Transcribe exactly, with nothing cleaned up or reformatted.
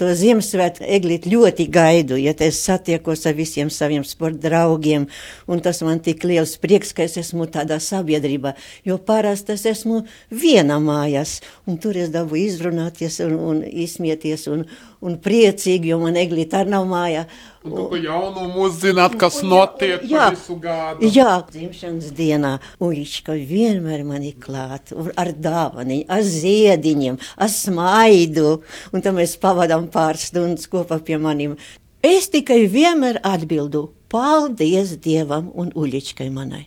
to Ziemassvētku eglīti ļoti gaidu, ja es satiekos ar visiem saviem sporta draugiem, un tas man tik liels prieks, ka es esmu tādā sabiedrībā, jo parasti es esmu viena mājās, un tur es dabu izrunāties un, un izsmieties un, un priecīgi, jo man eglīti arī nav mājā. Un tu pa jaunumu uzzināt, kas un, notiek jā, visu gadu. Jā, dzimšanas dienā Uļička vienmēr man ir klāt, ar dāvaniņu, ar ziediņiem, ar smaidu, un tad mēs pavadām pāris stundas kopā pie maniem. Es tikai vienmēr atbildu, paldies Dievam un Uļičkai manai.